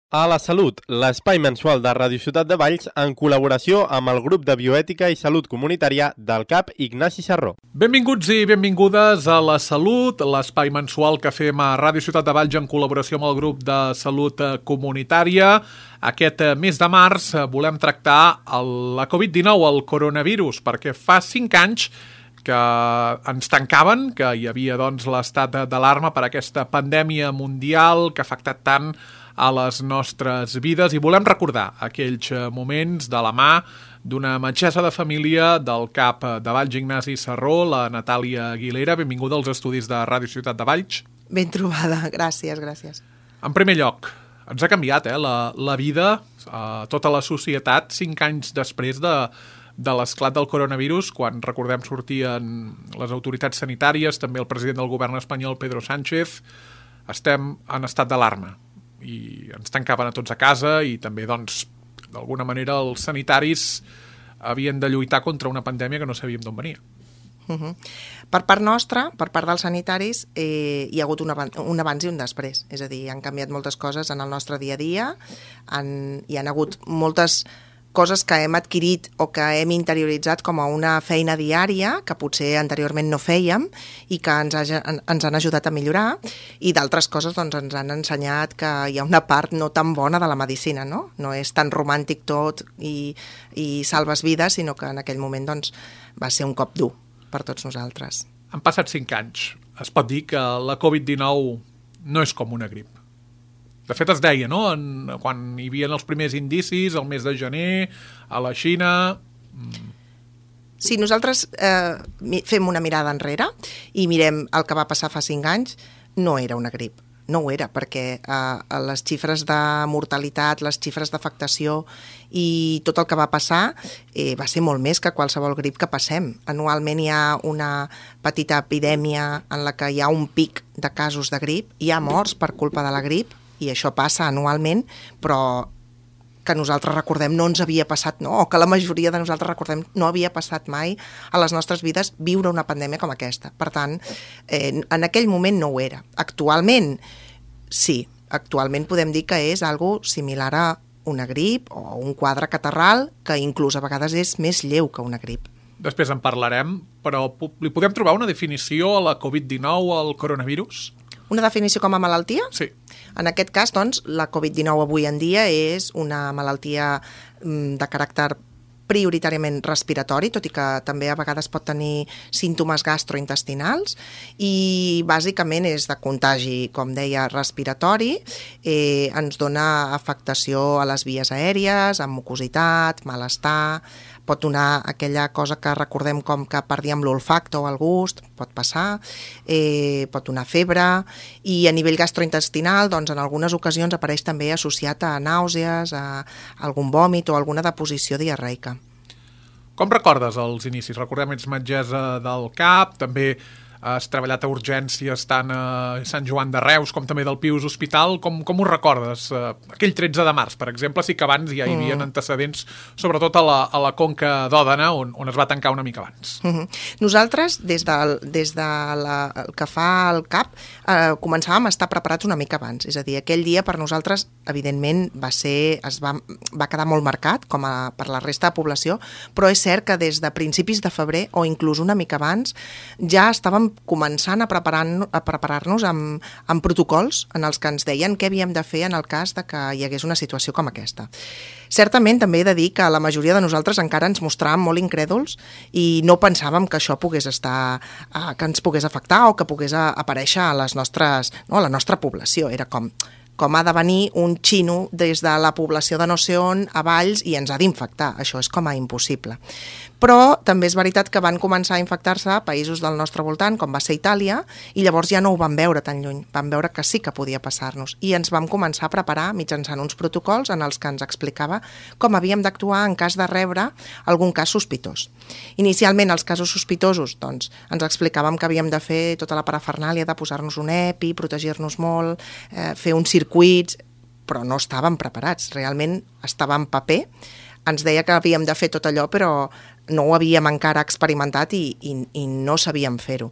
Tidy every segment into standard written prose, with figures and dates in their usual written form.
A la Salut, l'espai mensual de Ràdio Ciutat de Valls en col·laboració amb el grup de bioètica i salut comunitària del CAP Ignasi Sarró. Benvinguts i benvingudes a La Salut, l'espai mensual que fem a Ràdio Ciutat de Valls en col·laboració amb el grup de salut comunitària. Aquest mes de març volem tractar la Covid-19, el coronavirus, perquè fa 5 anys que ens tancaven, que hi havia l'estat d'alarma per aquesta pandèmia mundial que ha afectat tant a les nostres vides, i volem recordar aquells moments de la mà d'una metgessa de família del CAP de Valls, Ignasi Sarró, la Natàlia Aguilera. Benvinguda als estudis de Ràdio Ciutat de Valls. Ben trobada, gràcies. En primer lloc, ens ha canviat la vida, tota la societat, 5 anys després de l'esclat del coronavirus, quan, recordem, sortien les autoritats sanitàries, també el president del govern espanyol, Pedro Sánchez. Estem en estat d'alarma i ens tancaven a tots a casa, i també, d'alguna manera, els sanitaris havien de lluitar contra una pandèmia que no sabíem d'on venia. Per part nostra, per part dels sanitaris, hi ha hagut un abans i un després. És a dir, han canviat moltes coses en el nostre dia a dia, hi han hagut moltes coses que hem adquirit o que hem interioritzat com a una feina diària que potser anteriorment no fèiem i que ens han ajudat a millorar, i d'altres coses ens han ensenyat que hi ha una part no tan bona de la medicina, no? No és tan romàntic tot i salves vides, sinó que en aquell moment va ser un cop dur per tots nosaltres. Han passat 5 anys. Es pot dir que la Covid-19 no és com una grip. De fet, es deia, no?, quan hi havia els primers indicis, el mes de gener, a la Xina. Si nosaltres fem una mirada enrere i mirem el que va passar fa 5 anys, no era una grip. No ho era, perquè les xifres de mortalitat, les xifres d'afectació i tot el que va passar va ser molt més que qualsevol grip que passem. Anualment hi ha una petita epidèmia en la que hi ha un pic de casos de grip, hi ha morts per culpa de la grip, i això passa anualment, però que nosaltres recordem no ens havia passat, no? O que la majoria de nosaltres recordem no havia passat mai a les nostres vides viure una pandèmia com aquesta. Per tant, en aquell moment no ho era. Actualment, sí. Actualment podem dir que és algo similar a una grip o un quadre catarral, que inclús a vegades és més lleu que una grip. Després en parlarem, però li podem trobar una definició a la Covid-19, al coronavirus? Una definició com a malaltia? Sí. En aquest cas, la Covid-19 avui en dia és una malaltia de caràcter prioritàriament respiratori, tot i que també a vegades pot tenir símptomes gastrointestinals, i bàsicament és de contagi, com deia, respiratori. Ens dona afectació a les vies aèries, amb mucositat, malestar, pot donar aquella cosa que recordem com que perdíem l'olfacte o el gust, pot passar, pot donar febre, i a nivell gastrointestinal, en algunes ocasions apareix també associat a nàusees, a algun vòmit o alguna deposició diarreica. Com recordes els inicis? Recordem, ets metgessa del CAP, també has treballat a urgències tant a Sant Joan de Reus com també del Pius Hospital. Com ho recordes? Aquell 13 de març, per exemple, sí que abans ja hi havia antecedents, sobretot a la Conca d'Òdena, on es va tancar una mica abans. Nosaltres, des del que fa el CAP, començàvem a estar preparats una mica abans. És a dir, aquell dia per nosaltres, evidentment, va quedar molt marcat, com per la resta de població, però és cert que des de principis de febrer, o inclús una mica abans, ja estàvem començant a preparar-nos amb protocols en els que ens deien què havíem de fer en el cas de que hi hagués una situació com aquesta. Certament també he de dir que la majoria de nosaltres encara ens mostràvem molt incrèduls i no pensàvem que això pogués que ens pogués afectar o que pogués aparèixer a la nostra població. Era com ha de venir un xino des de la població de no sé on a Valls i ens ha d'infectar. Això és com a impossible. Però també és veritat que van començar a infectar-se a països del nostre voltant, com va ser Itàlia, i llavors ja no ho vam veure tan lluny. Vam veure que sí que podia passar-nos. I ens vam començar a preparar mitjançant uns protocols en els que ens explicava com havíem d'actuar en cas de rebre algun cas sospitós. Inicialment, els casos sospitosos, ens explicàvem que havíem de fer tota la parafernàlia de posar-nos un EPI, protegir-nos molt, fer uns circuits, però no estàvem preparats. Realment estava en paper, ens deia que havíem de fer tot allò, però no ho havíem encara experimentat i no sabíem fer-ho.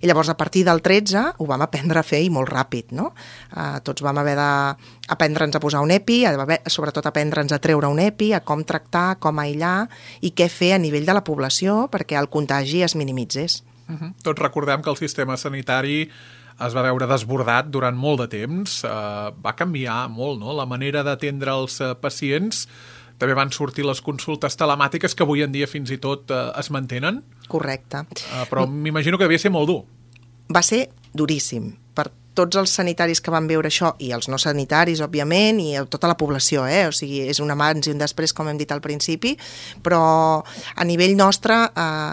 I llavors, a partir del 13, ho vam aprendre a fer i molt ràpid, no? Tots vam haver d'aprendre'ns a posar un EPI, sobretot aprendre'ns a treure un EPI, a com tractar, com aïllar i què fer a nivell de la població perquè el contagi es minimitzés. Tots recordem que el sistema sanitari es va veure desbordat durant molt de temps, va canviar molt, no?, la manera d'atendre els pacients. També van sortir les consultes telemàtiques que avui en dia fins i tot es mantenen. Correcte. Però m'imagino que devia ser molt dur. Va ser duríssim per tots els sanitaris que van veure això, i els no sanitaris, òbviament, i tota la població, O sigui, és un abans i un després, com hem dit al principi, però a nivell nostre,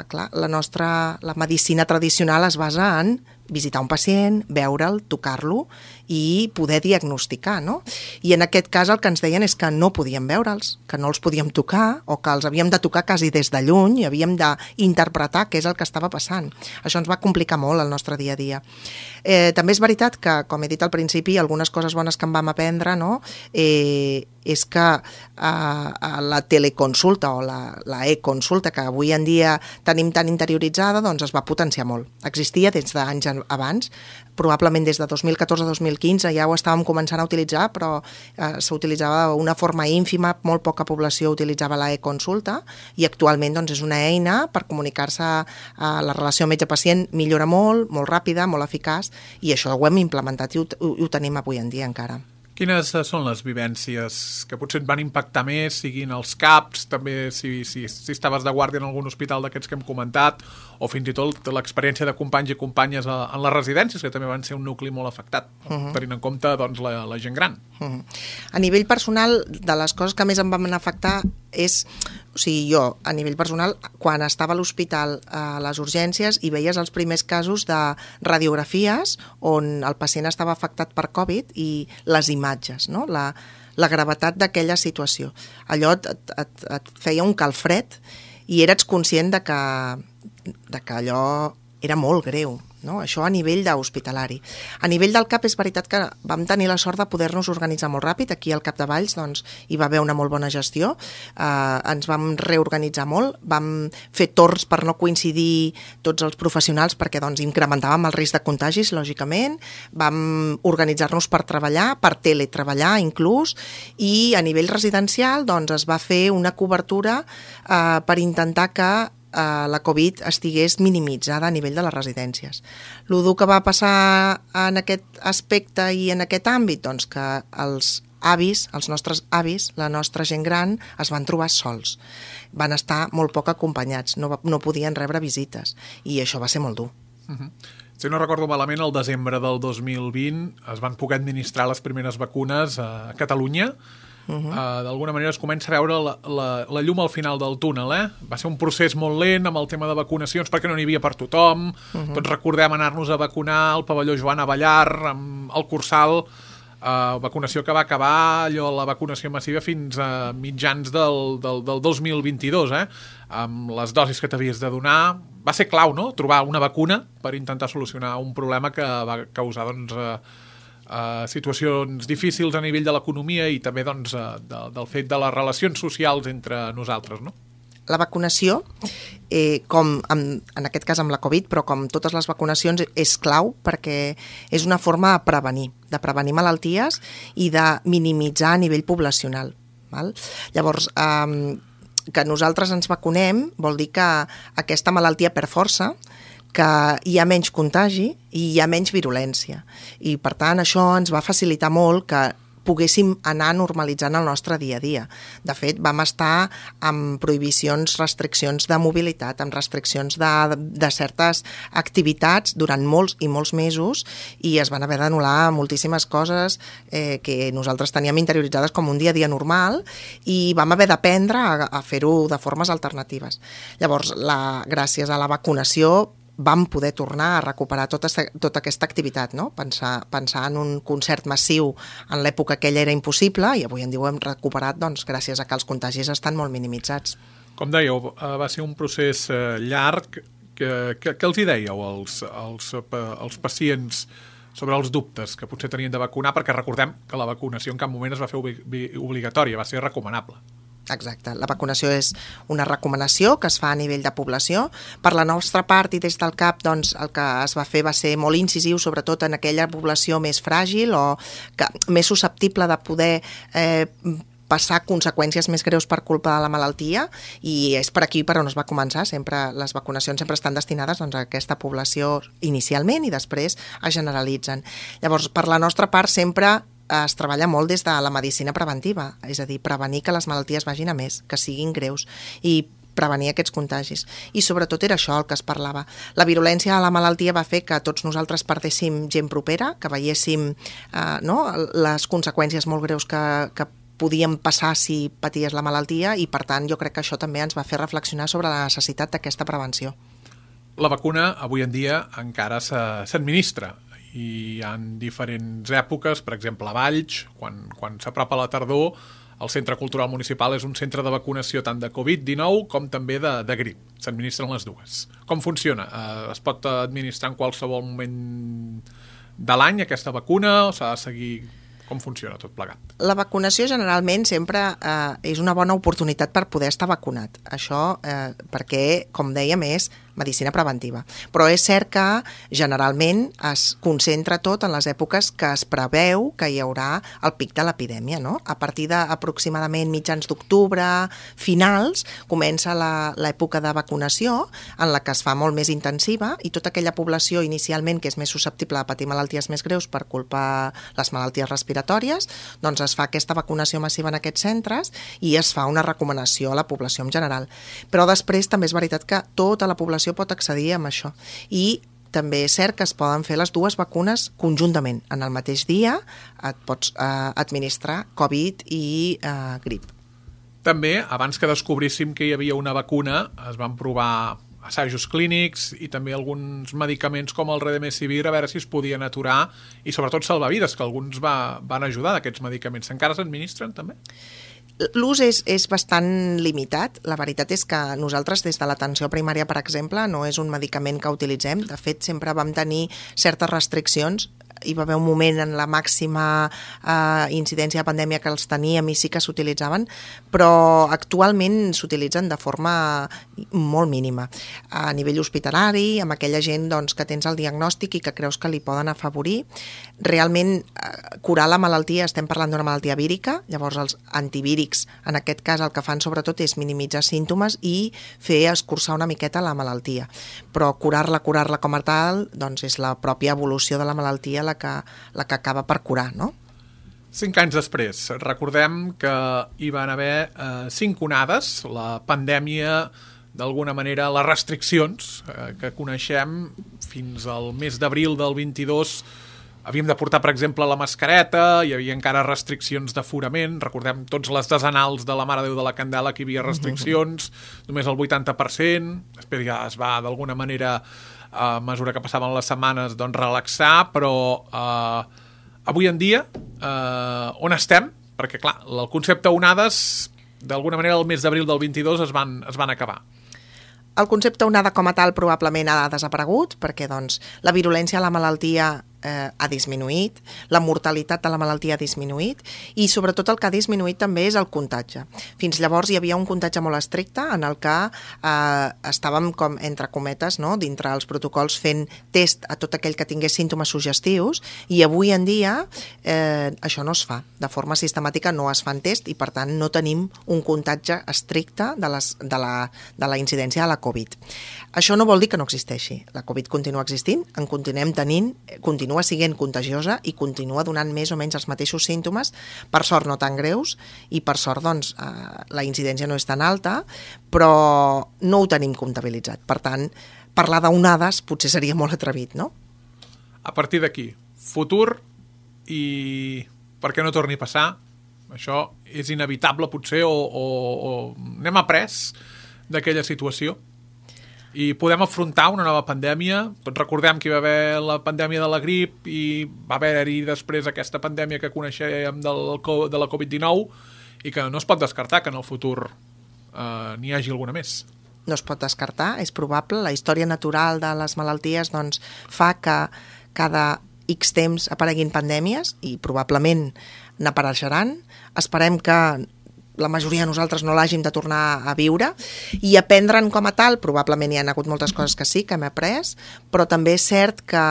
clar, la medicina tradicional es basa en visitar un pacient, veure'l, tocar-lo i poder diagnosticar, no? I en aquest cas el que ens deien és que no podíem veure'ls, que no els podíem tocar o que els havíem de tocar quasi des de lluny i havíem d'interpretar què és el que estava passant. Això ens va complicar molt el nostre dia a dia. També és veritat que, com he dit al principi, algunes coses bones que en vam aprendre, no?, és que la teleconsulta o la e-consulta que avui en dia tenim tan interioritzada, doncs es va potenciar molt. Existia des d'anys abans, probablement des de 2014-2015 ja ho estàvem començant a utilitzar, però s'utilitzava d'una forma ínfima, molt poca població utilitzava la e-consulta i actualment doncs, és una eina per comunicar-se a la relació metge-pacient, millora molt, molt ràpida, molt eficaç, i això ho hem implementat i ho tenim avui en dia encara. Quines són les vivències que potser et van impactar més, siguin els CAPs, també si estaves de guàrdia en algun hospital d'aquests que hem comentat, o fins i tot l'experiència de companys i companyes en les residències, que també van ser un nucli molt afectat, tenint en compte doncs, la gent gran. A nivell personal, de les coses que més em van afectar és, o sigui, jo, a nivell personal, quan estava a l'hospital a les urgències i veies els primers casos de radiografies on el pacient estava afectat per Covid i les imatges, no?, la gravetat d'aquella situació. Allò et feia un calfred i eres conscient de que allò era molt greu, no? Això a nivell d'hospitalari. A nivell del CAP és veritat que vam tenir la sort de poder-nos organitzar molt ràpid. Aquí al Capdevalls doncs, hi va haver una molt bona gestió, ens vam reorganitzar molt, vam fer torns per no coincidir tots els professionals perquè doncs, incrementàvem el risc de contagis, lògicament, vam organitzar-nos per treballar, per teletreballar inclús, i a nivell residencial doncs, es va fer una cobertura per intentar que la Covid estigués minimitzada a nivell de les residències. El que va passar en aquest aspecte i en aquest àmbit, doncs que els avis, els nostres avis, la nostra gent gran, es van trobar sols. Van estar molt poc acompanyats, no podien rebre visites, i això va ser molt dur. Si no recordo malament, el desembre del 2020 es van poder administrar les primeres vacunes a Catalunya. D'alguna manera es comença a veure la llum al final del túnel, Va ser un procés molt lent amb el tema de vacunacions perquè no n'hi havia per tothom. Tots recordem anar-nos a vacunar al pavelló Joan Avellar, amb el Cursal, vacunació que va acabar la vacunació massiva fins a mitjans del 2022, amb les dosis que t'havies de donar. Va ser clau, no?, trobar una vacuna per intentar solucionar un problema que va causar situacions difícils a nivell de l'economia i també doncs, del fet de les relacions socials entre nosaltres, no? La vacunació, com en aquest cas amb la Covid, però com totes les vacunacions, és clau perquè és una forma de prevenir malalties i de minimitzar a nivell poblacional. Val? Llavors, que nosaltres ens vacunem vol dir que aquesta malaltia per força, que hi ha menys contagi i hi ha menys virulència. I, per tant, això ens va facilitar molt que poguéssim anar normalitzant el nostre dia a dia. De fet, vam estar amb prohibicions, restriccions de mobilitat, amb restriccions de certes activitats durant molts i molts mesos i es van haver d'anul·lar moltíssimes coses que nosaltres teníem interioritzades com un dia a dia normal i vam haver d'aprendre a fer-ho de formes alternatives. Llavors, gràcies a la vacunació, vam poder tornar a recuperar tota aquesta activitat, no? Pensar en un concert massiu en l'època aquella era impossible i avui en dia ho hem recuperat doncs, gràcies a que els contagis estan molt minimitzats. Com dèieu, va ser un procés llarg. Què els hi dèieu als pacients sobre els dubtes que potser tenien de vacunar? Perquè recordem que la vacunació en cap moment es va fer obligatòria, va ser recomanable. Exacte, la vacunació és una recomanació que es fa a nivell de població. Per la nostra part i des del CAP, doncs, el que es va fer va ser molt incisiu, sobretot en aquella població més fràgil o més susceptible de poder passar conseqüències més greus per culpa de la malaltia, i és per aquí per on es va començar. Les vacunacions sempre estan destinades doncs, a aquesta població inicialment i després es generalitzen. Llavors, per la nostra part, sempre es treballa molt des de la medicina preventiva, és a dir, prevenir que les malalties vagin a més, que siguin greus, i prevenir aquests contagis. I sobretot era això el que es parlava. La virulència de la malaltia va fer que tots nosaltres perdéssim gent propera, que veiéssim les conseqüències molt greus que podien passar si paties la malaltia, i per tant jo crec que això també ens va fer reflexionar sobre la necessitat d'aquesta prevenció. La vacuna avui en dia encara s'administra i hi ha diferents èpoques, per exemple a Valls, quan s'apropa la tardor, el Centre Cultural Municipal és un centre de vacunació tant de Covid-19 com també de grip. S'administren les dues. Com funciona? Es pot administrar en qualsevol moment de l'any aquesta vacuna o s'ha de seguir? Com funciona tot plegat? La vacunació generalment sempre és una bona oportunitat per poder estar vacunat. Això perquè, com dèiem, és medicina preventiva. Però és cert que generalment es concentra tot en les èpoques que es preveu que hi haurà el pic de l'epidèmia, no? A partir d'aproximadament mitjans d'octubre, finals, comença l'època de vacunació en la que es fa molt més intensiva, i tota aquella població inicialment que és més susceptible de patir malalties més greus per culpa de les malalties respiratòries, doncs es fa aquesta vacunació massiva en aquests centres i es fa una recomanació a la població en general. Però després també és veritat que tota la població pot accedir a això, i també és cert que es poden fer les dues vacunes conjuntament. En el mateix dia et pots administrar Covid i grip. També, abans que descobríssim que hi havia una vacuna, es van provar assajos clínics i també alguns medicaments com el Remdesivir, a veure si es podien aturar, i sobretot salvar-vides, que alguns van ajudar d'aquests medicaments. Encara s'administren també? L'ús és bastant limitat. La veritat és que nosaltres, des de l'atenció primària, per exemple, no és un medicament que utilitzem. De fet, sempre vam tenir certes restriccions. Hi va haver un moment en la màxima incidència de pandèmia que els teníem i sí que s'utilitzaven, però actualment s'utilitzen de forma molt mínima. A nivell hospitalari, amb aquella gent doncs, que tens el diagnòstic i que creus que li poden afavorir, realment curar la malaltia, estem parlant d'una malaltia vírica, llavors els antivírics en aquest cas el que fan sobretot és minimitzar símptomes i fer escurçar una miqueta la malaltia, però curar-la com a tal doncs és la pròpia evolució de la malaltia la que acaba per curar, no? 5 anys després, recordem que hi van haver 5 onades, la pandèmia, d'alguna manera, les restriccions que coneixem fins al mes d'abril del 22. Havíem de portar, per exemple, la mascareta, hi havia encara restriccions d'aforament, recordem tots les desenals de la Mare de Déu de la Candela, que hi havia restriccions, només el 80%, després ja es va, d'alguna manera, a mesura que passaven les setmanes, doncs relaxar, però avui en dia, on estem? Perquè, clar, el concepte onades, d'alguna manera, el mes d'abril del 22 es van acabar. El concepte onada com a tal probablement ha desaparegut, perquè doncs, la virulència de la malaltia ha disminuït, la mortalitat de la malaltia ha disminuït, i sobretot el que ha disminuït també és el contatge. Fins llavors hi havia un contatge molt estricte en el que estàvem, com entre cometes, no? Dintre els protocols fent test a tot aquell que tingués símptomes suggestius, i avui en dia això no es fa. De forma sistemàtica no es fan test i per tant no tenim un contatge estricte de la incidència de la Covid. Això no vol dir que no existeixi. La Covid continua existint, en continuem tenint, continua sent contagiosa i continua donant més o menys els mateixos símptomes, per sort no tan greus, i per sort doncs, la incidència no és tan alta, però no ho tenim comptabilitzat. Per tant, parlar d'onades potser seria molt atrevit, no? A partir d'aquí, futur i perquè no torni a passar, això és inevitable potser o n'hem après d'aquella situació i podem afrontar una nova pandèmia. Tots recordem que hi va haver la pandèmia de la grip i va haver-hi després aquesta pandèmia que coneixem de la Covid-19 i que no es pot descartar que en el futur n'hi hagi alguna més. No es pot descartar, és probable. La història natural de les malalties doncs, fa que cada X temps apareguin pandèmies i probablement n'apareixeran. Esperem que la majoria de nosaltres no l'hàgim de tornar a viure, i aprendre'n com a tal, probablement hi ha hagut moltes coses que sí, que hem après, però també és cert que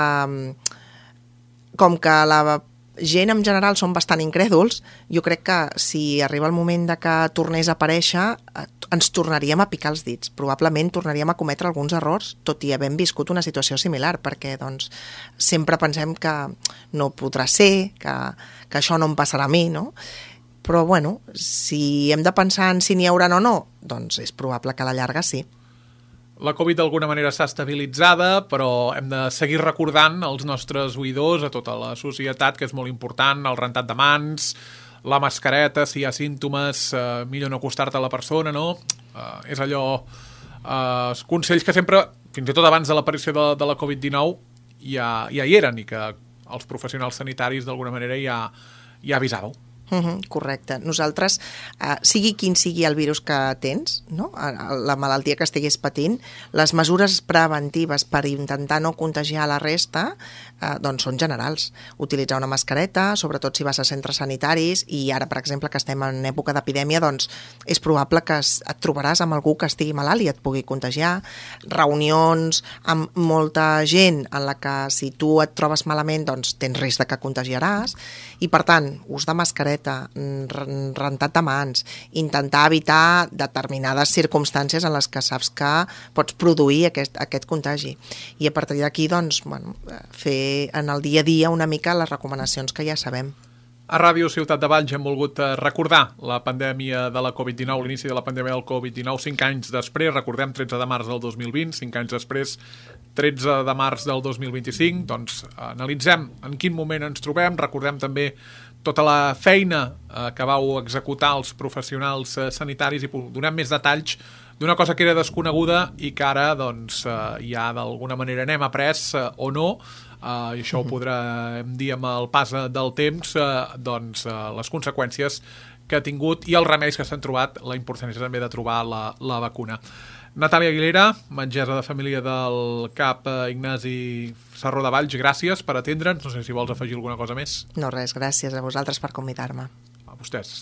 com que la gent en general són bastant incrèduls, jo crec que si arriba el moment de que tornés a aparèixer, ens tornaríem a picar els dits. Probablement tornaríem a cometre alguns errors, tot i havent viscut una situació similar, perquè doncs, sempre pensem que no podrà ser, que això no em passarà a mi, no? Però, bueno, si hem de pensar en si n'hi haurà o no, doncs és probable que a la llarga sí. La Covid d'alguna manera està estabilitzada, però hem de seguir recordant als nostres oïdors, a tota la societat, que és molt important, el rentat de mans, la mascareta, si hi ha símptomes, millor no acostar-te a la persona, no? És allò... consells que sempre, fins i tot abans de l'aparició de la Covid-19, ja hi eren i que els professionals sanitaris d'alguna manera ja avisàveu. Correcte. Nosaltres, sigui quin sigui el virus que tens, no? La malaltia que estiguis patint, les mesures preventives per intentar no contagiar la resta doncs són generals. Utilitzar una mascareta, sobretot si vas a centres sanitaris, i ara, per exemple, que estem en època d'epidèmia, doncs és probable que et trobaràs amb algú que estigui malalt i et pugui contagiar. Reunions amb molta gent en la que si tu et trobes malament doncs tens risc de que contagiaràs, i per tant, ús de mascareta, rentat de mans, intentar evitar determinades circumstàncies en les que saps que pots produir aquest contagi. I a partir d'aquí, doncs, bueno, fer en el dia a dia una mica les recomanacions que ja sabem. A Ràdio Ciutat de Valls hem volgut recordar la pandèmia de la Covid-19, l'inici de la pandèmia del Covid-19 5 anys després, recordem 13 de març del 2020, 5 anys després 13 de març del 2025, doncs analitzem en quin moment ens trobem, recordem també tota la feina que vau executar els professionals sanitaris i donem més detalls d'una cosa que era desconeguda i que ara doncs, ja d'alguna manera n'hem après o no, i això ho podrem dir amb el pas del temps, doncs, les conseqüències que ha tingut i els remeis que s'han trobat, la importància també de trobar la vacuna. Natàlia Aguilera, metgessa de família del CAP Ignasi Sarró de Valls, gràcies per atendre'ns. No sé si vols afegir alguna cosa més. No, res, gràcies a vosaltres per convidar-me. A vostès.